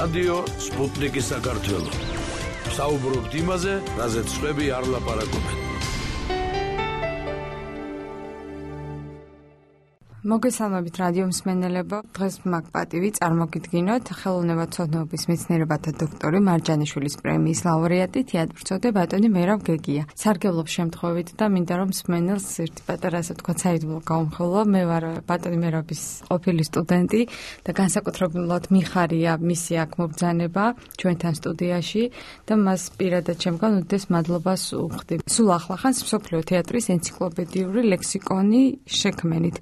რადიო სპუტნიკი საქართველო. საუბრობთ იმაზე, რაზეც სხვები არ ლაპარაკობენ. მოგესალმებით რადიო მსმენელებო. დღეს მაგ პატივი წარმოგიდგინოთ ხელოვნებათმცოდნეობის მეცნიერებათა დოქტორი მარჯანიშვილის პრემიის ლაურეატი თეატრმცოდნე ბატონი მერაბ გეგია. სარგებლობ შემთხვევით და მინდა რომ მსმენელს ერთი პატარა ასე თქვა საიდუმლო გაუმხელო. მე ვარ ბატონი მერაბის ყოფილი სტუდენტი და განსაკუთრებულად მიხარია მისი აქ მობრძანება ჩვენთან სტუდიაში და მას პირადად ჩემგან უდიდეს მადლობას უხდი. სულ ახლახანს მსოფლიო თეატრის ენციკლოპედიური ლექსიკონი შექმენით.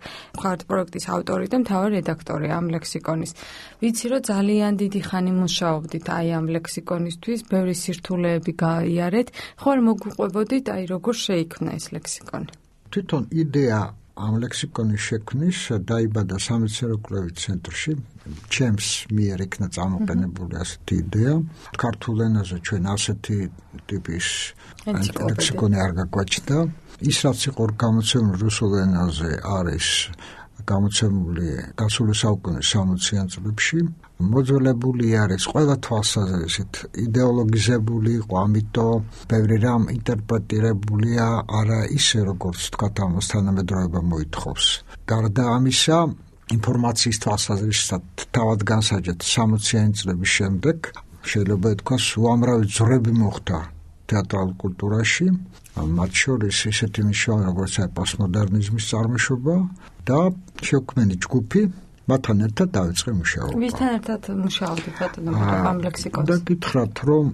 პროექტის ავტორი და მთავარი რედაქტორი ამ ლექსიკონის. ვიცი რომ ძალიან დიდი ხანი მუშაობდით აი ამ ლექსიკონისთვის, ბევრი სირთულეები გაიარეთ. ხო მოგუყვებოდით აი როგორ შეიქმნა ეს ლექსიკონი? თვითონ იდეა ამ ლექსიკონის შექმნის დაიბადა სამეცნიერო-კვლევით ცენტრში. ჩემს მიერ იქნა წარმოყენებული ასეთი იდეა. ქართულ ენაზე ჩვენ ასეთი ტიპის ლექსიკონი არ გაგვაჩნდა. ის რაც იყო გამოცემული რუსულ ენაზე არის გამოცემული გასული საუკუნის 60-იან წლებში. მოძველებული არის ყველა თვალსაზრისით, იდეოლოგიზებული იყო, ამიტომ ბევრი რამ ინტერპრეტირებულია არა ისე როგორც თქვა ამას თანამედროვეობა მოითხოვს. გარდა ამისა, ინფორმაციის თვალსაზრისით თავად განსაჯეთ 60-იანი წლების შემდეგ შეიძლება ითქვას უამრავი ძვრები მოხდა თეატრალურ კულტურაში, მათ შორის ისეთი მნიშვნელოვანი როგორც პოსტმოდერნიზმის წარმოშობა და შექმნილი ჯგუფი, მათთან ერთად დაიწყე მუშაობა. ვისთან ერთად მუშაობდით ბატონო ამ ლექსიკონს? და გითხრათ რომ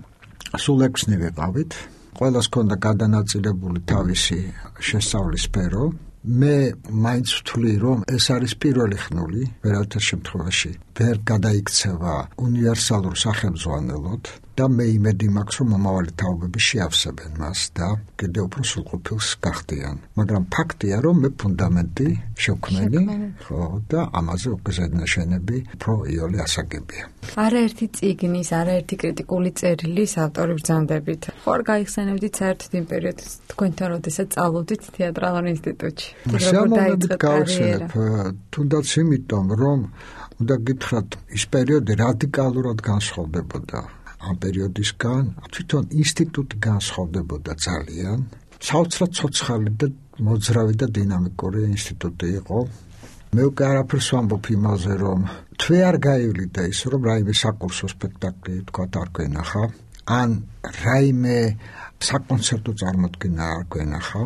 სულ 6-ნი ვიყავით, ყველას ჰქონდა გადანაწილებული თავისი შესწავლის სფერო. მე მაინც ვთვლი რომ ეს არის პირველი ხნული, ვერავითარ შემთხვევაში ვერ გადაიქცევა უნივერსალურ სახელმძღვანელოდ და მე იმედი მაქვს რომ მომავალი თაობები შეავსებენ მას და კიდევ უფრო სრულყოფილს გახდიან. მაგრამ ფაქტია რომ მე ფუნდამენტი შევქმენი, ხო და ამაზე უგზადნაშენები უფრო იოლი ასაგებია. არაერთი წიგნის, არაერთი კრიტიკული წერილის ავტორი ბრძანდებით. ხო არ გაიხსენებდით საერთოდ იმ პერიოდს თქვენთან როდესაც სწავლობდით თეატრალურ ინსტიტუტში? შემოგვიდით გავიხსენებ, თუნდაც იმიტომ რომ უნდა გითხრათ ის პერიოდი რადიკალურად განსხვავდებოდა ამ პერიოდისგან, თვითონ ინსტიტუტი განსხვავდებოდა ძალიან. საოცრად ცოცხალი და მოძრავი და დინამიკური ინსტიტუტი იყო. მე უკვე არაფერს ვამბობ იმაზე, რომ თვე არ გაივლიდა ის, რომ რაიმე საკურსო სპექტაკლი თქვათ არ გვენახა, ან რაიმე საკონცერტო წარმოდგენა არ გვენახა.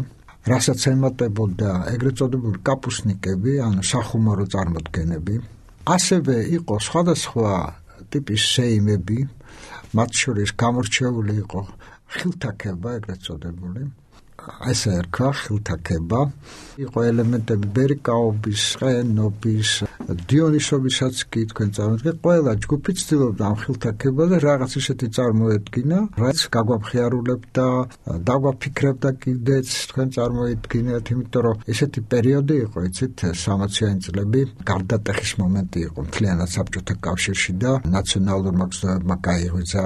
რასაც ემატებოდა ეგრეთ წოდებული კაპუსნიკები, ანუ სახუმორო წარმოდგენები. ასევე იყო სხვადასხვა ტიპის სეიმები, მათ შორის გამორჩეული იყო ხილთაქება, ეგრეთ წოდებული. ესე ერქვა ხილთაქება. იყო ელემენტები ბერიკაობის, ყენობის, დიონისობისაც კი თქვენ წარმოიდგინეთ. ყველა ჯგუფი ცდილობდა ამ ხილთაქებაზე რაღაც ისეთი წარმოედგინა, რაც გაგვაფხიარულებდა, დაგვაფიქრებდა კიდეც თქვენ წარმოიდგინეთ, იმიტომ რომ ესეთი პერიოდი იყო, იცით, 60-იანი წლები, გარდატეხის მომენტი იყო მთლიანად საბჭოთა კავშირში და ნაციონალურმა მგზნებებმა გაიღვიძა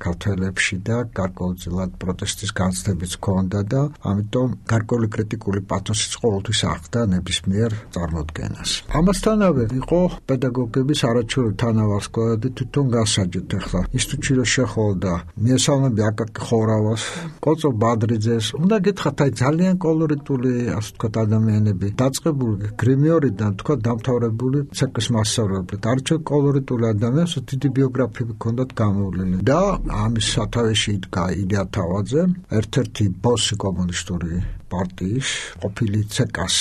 ქართველებში და გარკვეულწილად პროტესტის განცდებიც ჰქონდა და ამიტომ გარკვეული კრიტიკული პათოსიც ყოველთვის აღდა ნებისმიერ წარმოდგენას. ამასთანავე იყო პედაგოგების არაჩვეულებრივი თანავარსკვლავედი და თვითონ გასაჯეთ ახლა ინსტიტუტში რო შეხოვდა მიესალმები აკაკი ხოვრავას, კოწო ბადრიძეს, უნდა გითხრათ აი ძალიან კოლორიტული ასე ვთქვათ ადამიანები, დაწყებული გრიმიორიდან თქვა დამთავრებული ცეკვის მასწავლებლად, არჩევ კოლორიტული ადამიანს, დიდი ბიოგრაფიები ჰქონდათ გამოვლილი და ამის სათავეში იდგა ილია თავაძე, ერთ-ერთი ბოსი კომუნისტური პარტიის, ყოფილი ცეკას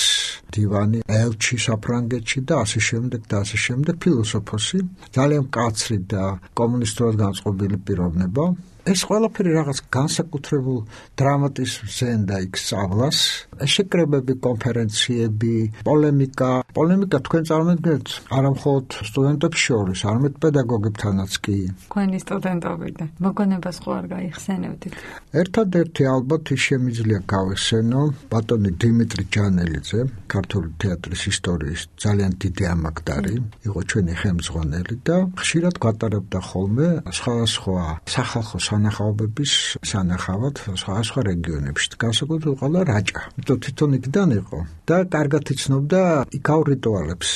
დივანი ელჩი საფრანგეთში და ასე შემდეგ, ფილოსოფოსი, ძალიან მკაცრი და კომუნისტურად განწყობილი პიროვნება. ეს ყველაფერი რაღაც განსაკუთრებულ დრამატიზმს ზენდა იქ სწავლას. შეკრებები, კონფერენციები, პოლემიკა თქვენ წარმოიდგინეთ არა მხოლოდ სტუდენტებს შორის, არამედ პედაგოგებთანაც კი. თქვენი სტუდენტობიდან მოგონებას ხო არ გაიხსენებდით? ერთადერთი ალბათ ის შემიძლია გავიხსენო ბატონი დიმიტრი ჯანელიძე, ქართული თეატრის ისტორიის ძალიან დიდი ამაგდარი, იყო ჩვენი ხელმძღვანელი და ხშირად გვატარებდა ხოლმე სხვადასხვა სახალხო სანახაობების სანახავად სხვადასხვა რეგიონებში. განსაკუთრებით ყოლა რაჭა. თვითონ იქიდან იყო და კარგად იცნობდა იქაურ რიტუალებს.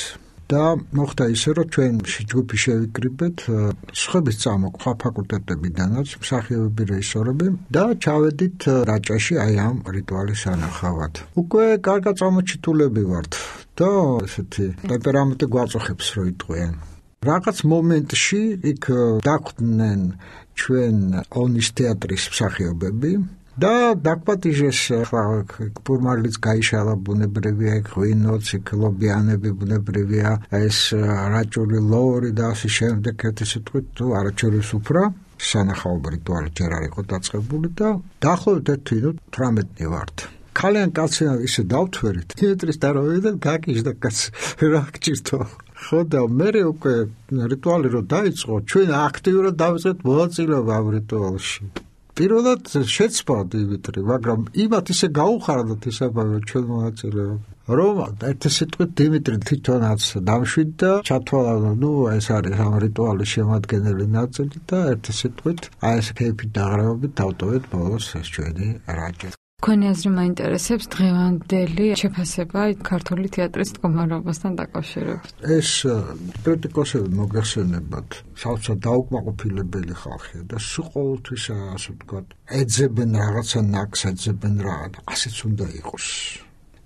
და მოხდა ისე, რომ ჩვენ ჯგუფი შევიკრიბეთ სხვების წამოყვა ფაკულტეტებიდანაც მსახიობები, რეჟისორები და ჩავედით რაჭაში აი ამ რიტუალის სანახავად. უკვე კარგად წამოჩიტულები ვართ და ესეთი ტემპერამენტი გვაწუხებს რომ იტყვიან. რაღაც მომენტში იქ დახვდნენ ჩვენ ონის თეატრის მსახიობები და დაგვატიჟეს ფორმალიც გაიშალა ბუნებრივია ღვინოც, ლობიანები ბუნებრივია, ეს რაჭული ლორი და ასე შემდეგ ერთი სიტყვით თუ არაჩვეულის უფრა სანახაობრივი რიტუალი ჯერ არ იყო დაწყებული და დაახლოებით 18 ვართ. ქალიან კაცი ისე დავთვერით თეატრის დარავიდან გაკიჟდა კაცი რა გჭირთო ხო და მე უკვე რიტუალი რო დაიწყო ჩვენ აქტიურად დავიწყეთ მონაწილეობა ამ რიტუალში. პირველად შეცვალა დიმიტრი, მაგრამ იმათ ისე გაუხარდათ ისაბავე ჩვენ მონაწილეობა. რომ ერთი სიტყვით დიმიტრი თვითონაც დამშვიდდა, ჩათვალა, ეს არის ამ რიტუალის შემადგენელი ნაწილი და ერთი სიტყვით აი ეს ქეიფით დაღრევებით დავტოვეთ ბოლოს ეს ჩვენი რაჭა. თქვენი აზრი მაინტერესებს დღევანდელი შეფასება ქართული თეატრის მდგომარეობასთან დაკავშირებით. ეს კრიტიკოსები მოგეხსენებათ, საოცრად დაუკმაყოფილებელი ხალხია და სულ ყოველთვის ასე ვთქვათ, ეძებენ რაღაცა ნაკს, ეძებენ რა, ასეც უნდა იყოს.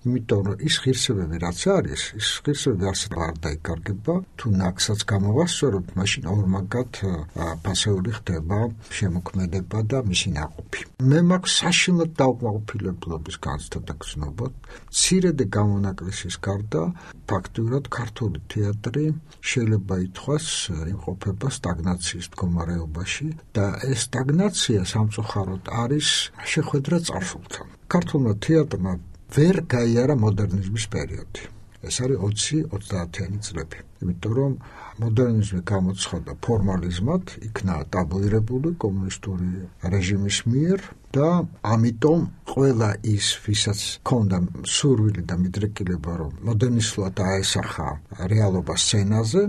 იმიტომ რომ ის ღირსებები რაც არის, ის ღირსებები არსად არ დაიკარგება, თუ ნაკსაც გამოვასწოროთ, მაშინ ორმაგად ფასეული ხდება შემოქმედება და მისი ნაყოფი. მე მაქვს საშინლად დაუკმაყოფილებლობის განცდა და გზნობა, მცირედი გამონაკლისის გარდა, ფაქტიურად ქართული თეატრი შეიძლება ითქვას იმყოფება სტაგნაციის მდგომარეობაში და ეს სტაგნაცია სამწუხაროდ არის შეხვედრა წარსულთან. ქართულმა თეატრმა ვერ გაიარა მოდერნიზმის პერიოდი. ეს არის 20-30-იანი წლები. იმიტომ რომ მოდერნიზმი გამოცხადდა ფორმალიზმად, იქნა ტაბუირებული კომუნისტური რეჟიმის მიერ და ამიტომ ყველა ის, ვისაც ჰქონდა სურვილი და მიდრეკილება, რომ მოდერნისტულად აესახა რეალობა სცენაზე,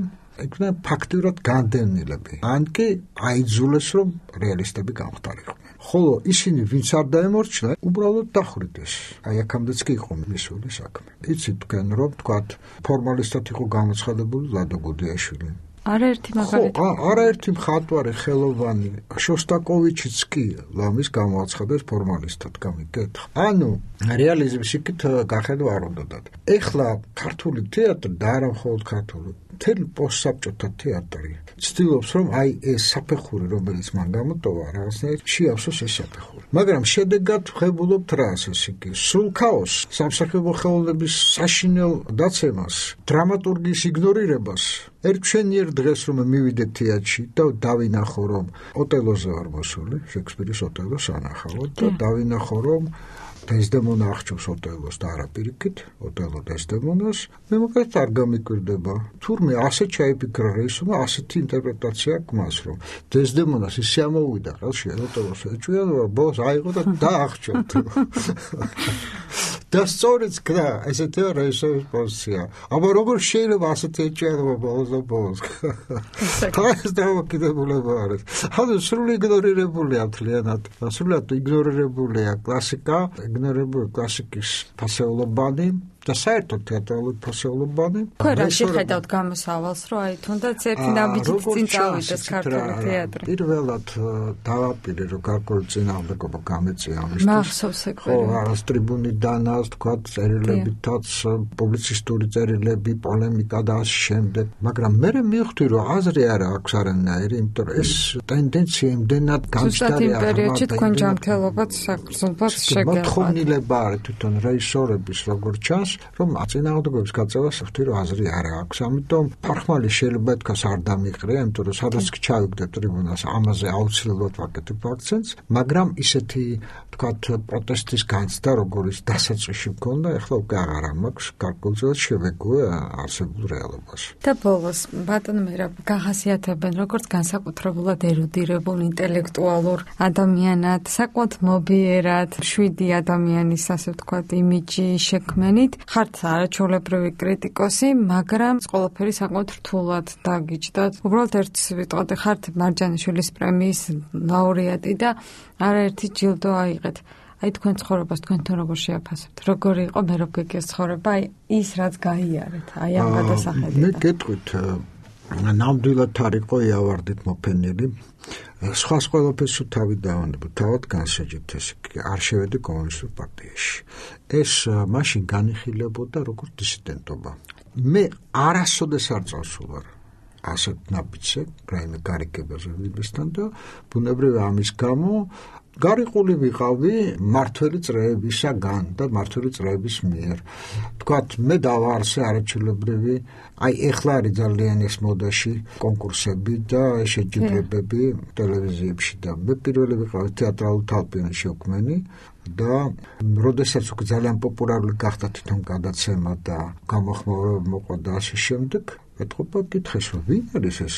იქნა ფაქტიურად განდევნილები. ან კი აიძულეს, რომ რეალისტები გამხდარიყო. ხოლო ისინი ვინც არ დაემორჩილა, უბრალოდ დახვრიტეს. აი აქამდეც კი იყო მისული საქმე. იცით თქვენ რომ თქვათ ფორმალისტად იყო გამოცხადებული ლადო გუდიაშვილი. არაერთი მაგალითი. არაერთი მხატვარი ხელოვანი შოსტაკოვიჩიც კი ლამის გამოაცხადეს ფორმალისტად გამიგეთ. ანუ რეალიზმის იქით გახედვა არ უნდათ. ეხლა ქართული თეატრი და არა მხოლოდ ქართული, მთელი პოსტსაბჭოთა თეატრი ცდილობს რომ აი ეს საფეხური რომელიც მან გამოტოვა რაღაცნაირად შეავსოს ეს საფეხური. მაგრამ შედეგად ვხებულობთ რას ეს იგი სრულ ქაოსს, სამსახიობო ხელოვნების საშინელ დაცემას, დრამატურგიის იგნორირებას. ერთშენიერ დღეს რომ მივიდე თეატრში და დავინახო რომ ოტელოზე ვარ მოსული, შექსპირის ოტელოს ანახავთ და დავინახო რომ დეზდემონა აღჭურს ოტელოს და არა პირიქით, ოტელო დეზდემონას, მე მოკლედ არ გამიკვირდება. თურმე ასე ჩაიფიქრა რეჟისორმა, ასეთი ინტერპრეტაცია აქვს, რომ დეზდემონას ისე ამოვიდა ხელში ოტელოს ეჭვია, ბოლოს აიღო და დაახჭურთ. და სწორიც გდა, ესეთი რეჟისორის პოზიცია. აბა როგორ შეიძლება ასეთი ეჭვიანობა ბოლოს? ეს დამოკიდებულება არის. ანუ სრული იგნორირებულია მთლიანად. სრულად იგნორირებულია კლასიკა, იგნორირებული კლასიკის ფასეულობანი და საერთოდ თეატრალური ფასეულობანი. ხო, რა შეხედავთ გამოსავალს, რომ აი თუნდაც ერთი ნაბიჯით წინ წავიდეს ქართული თეატრი. პირველად დავაპირე, რომ გარკვეული წინააღმდეგობა გამეწია ამისთვის. მახსოვს ეგ. ხო, არის ტრიბუნიდანაც, თქვა წერილებითაც, პუბლიცისტური წერილები, პოლემიკა და ამ შემდეგ. მაგრამ მე მივხვდი, რომ აზრი არ აქვს არანაირი, იმიტომ რომ ეს ტენდენცია იმდენად გამჭდარი არის. პერიოდში თქვენ ჯანმრთელობაც საკრძალვად შეგეღოთ. მოთხოვნილება არის თვითონ რეჟისორების როგორც ჩანს, რომ წინააღმდეგობის გაწევას ხვდი, რომ აზრი არ აქვს. ამიტომ ფარხმალი შეიძლება ეთქას არ დამიყრია, იმიტომ რომ სადაც ჩავიგდე ტრიბუნას, ამაზე აუცილებლად ვაკეთებ აქცენტს, მაგრამ ისეთი თქვათ პროტესტის განცდა, როგორც დასაწყისში მქონდა, ეხლა უკვე აღარ მაქვს, გარკვეულწილად შევეგუე არსებულ რეალობას. და ბოლოს, ბატონო მერაბ, გახასიათებენ როგორც განსაკუთრებულად ერუდირებულ ინტელექტუალურ ადამიანად, საკმაოდ მობიერად, 7 ადამიანის, ასე ვთქვათ, იმიჯი შექმენით. ხართ არაჩვეულებრივი კრიტიკოსი, მაგრამ ყველაფერი საკმაოდ რთულად დაგიჯდათ. უბრალოდ ერთ ვიტყოდი, ხართ მარჯანიშვილის პრემიის ლაურეატი და არაერთი ჯილდო აიღეთ. აი თქვენ ცხოვრებას თქვენთან როგორ შეაფასებთ? როგორი იყო მერაბ გეგიას ცხოვრება? აი ის რაც გაიარეთ, აი ამ გადასახედიდან. მე გეტყვით, ნამდვილად არ იყო იავარდით მოფენილი. სხვა ყველაფერს თავი დავანებო, თავად განსაჯეთ ეს არ შევედი კომუნისტურ პარტიაში. ეს მაშინ განიხილებოდა როგორც დისიდენტობა. მე არასოდეს არ წავსულარ ასეთ ნაბიჯზე, რაიმე გარიგებაზე ვიბესთან და ბუნებრივია ამის გამო გარიყული ვიყავი მართველი წრეებისაგან და მართველი წრეების მიერ. თქვათ, მე დავაარსე არაჩვეულებრივი, აი ეხლა არის ძალიან ეს მოდაში კონკურსები და შეჯიბრებები ტელევიზიებში და მე პირველი ვიყავი თეატრალურ თალყიანში ოქმენი და როდესაც უკვე ძალიან პოპულარული გახდა თვითონ გადაცემა და გამოხმაურება მოყვა და ასე შემდეგ ეთყობა კითხეს, ვინ არის ეს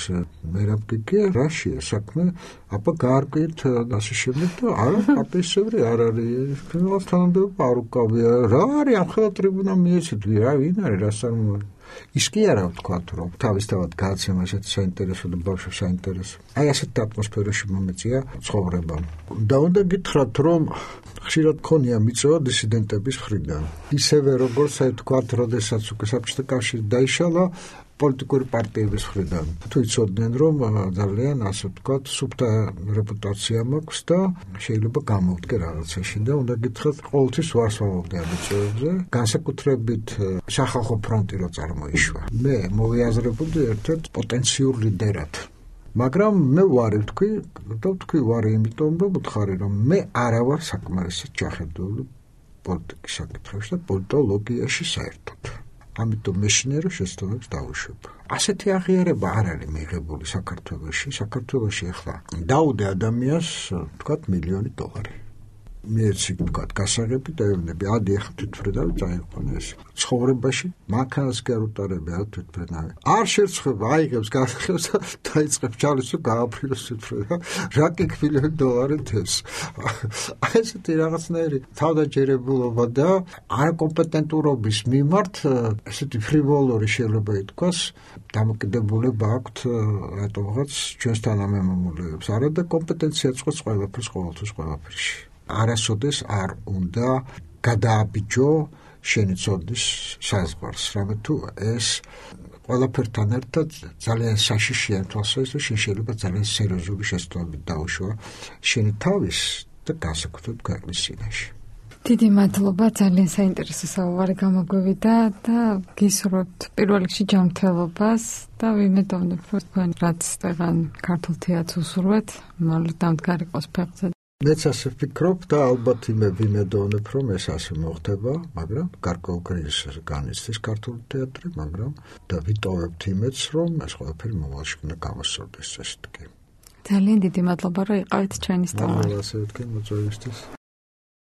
მერაბ გეგია, რაშია საქმე, აბა გაარკვიეთ და ასე შემდეგ და არა პარტიის წევრი არ არის, ფილმს თანამდებობა არ უკავია, რა არის ამ ხელა ტრიბუნა მიეცეთ, რა ვინ არის, რა წარმოადგენს. ის კი არა ვთქვათ, რომ თავისთავად გააცემა ესეთი საინტერესო და ბავშვებს საინტერესო. აი ასეთ ატმოსფეროში მომეწია ცხოვრება. და უნდა გითხრათ, რომ ხშირად ქონია მიწვევა დისიდენტების მხრიდან. ისევე როგორც აი ვთქვათ, როდესაც უკვე საბჭოთა კავშირი დაიშალა პოლიტიკური პარტიების მხრიდან. თუ იცოდნენ, რომ ძალიან ასე ვთქვათ, სუფთა რეპუტაცია მაქვს და შეიძლება გამოვდგე რაღაცაში და უნდა გითხრათ, ყოველთვის ვარსავობდი ამ მიწვევებზე, განსაკუთრებით სახალხო ფრონტი რო წარმოიშვა. მე მოვიაზრებოდი ერთ-ერთ პოტენციურ ლიდერად. მაგრამ მე ვარი ვთქვი ვარი იმიტომ რომ ვთხარი რომ მე არა ვარ საკმარისად ჩახედული პოლიტიკის საკითხებში და პოლიტოლოგიაში საერთოდ. ამიტომ მეშინერო შეცდომებს დავუშვებ. ასეთი აღიარება არ არის მიღებული საქართველოში. საქართველოში ახლა დაუდე ადამიანს თქვათ $1,000,000. მეცი თქვათ გასაღები და ევნები ადი ახლა თვითფრედავი წაიყვანა ეს. ცხოვრებაში მანქანას კი არ უტარები არ თვითფრედავი. არ შერცხება აიღებს გასაღებს და დაიწყებს ჩალის და გააფრინოს თვითფრედავ. რა კი $1,000,000 თეს. ესეთი რაღაცნაირი თავდაჯერებულობა და არაკომპეტენტურობის მიმართ ესეთი ფრივოლური შეიძლება ითქვას დამოკიდებულება აქვთ რატომღაც ჩვენს თანამემამულეებს. არა და კომპეტენცია წყვეტს ყველაფერს ყოველთვის ყველაფერში. არასოდეს არ უნდა გადააბიჯო შენი ცოდნის საზღვარს, რამე თუ ეს ყველაფერთან ერთად ძალიან საშიშია თვალსაზრისით, შენ შეიძლება ძალიან სერიოზული შეცდომებით დაუშვა შენი თავის და განსაკუთრებით ქვეყნის წინაშე. დიდი მადლობა, ძალიან საინტერესო საუბარი გამოგვივიდა და გისურვებთ პირველ რიგში ჯანმრთელობას და ვიმედოვნებ, რომ თქვენ რაც დღან ქართულ თეატრს უსურვეთ, მალე დამდგარი იყოს ფეხზე. მეც ასე ვფიქრობ და ალბათ ვიმედოვნებ, რომ ეს ასე მოხდება, მაგრამ გარკვეულ კრიზისს განიცდის ქართული თეატრი, მაგრამ და ვიტოვებთ იმედს, რომ ეს ყველაფერი მომავალში უნდა გამოსწორდეს, ესე იგი. ძალიან დიდი მადლობა, რომ იყავით ჩვენი სტუმარი. ასე ვთქვი მოწვევისთვის.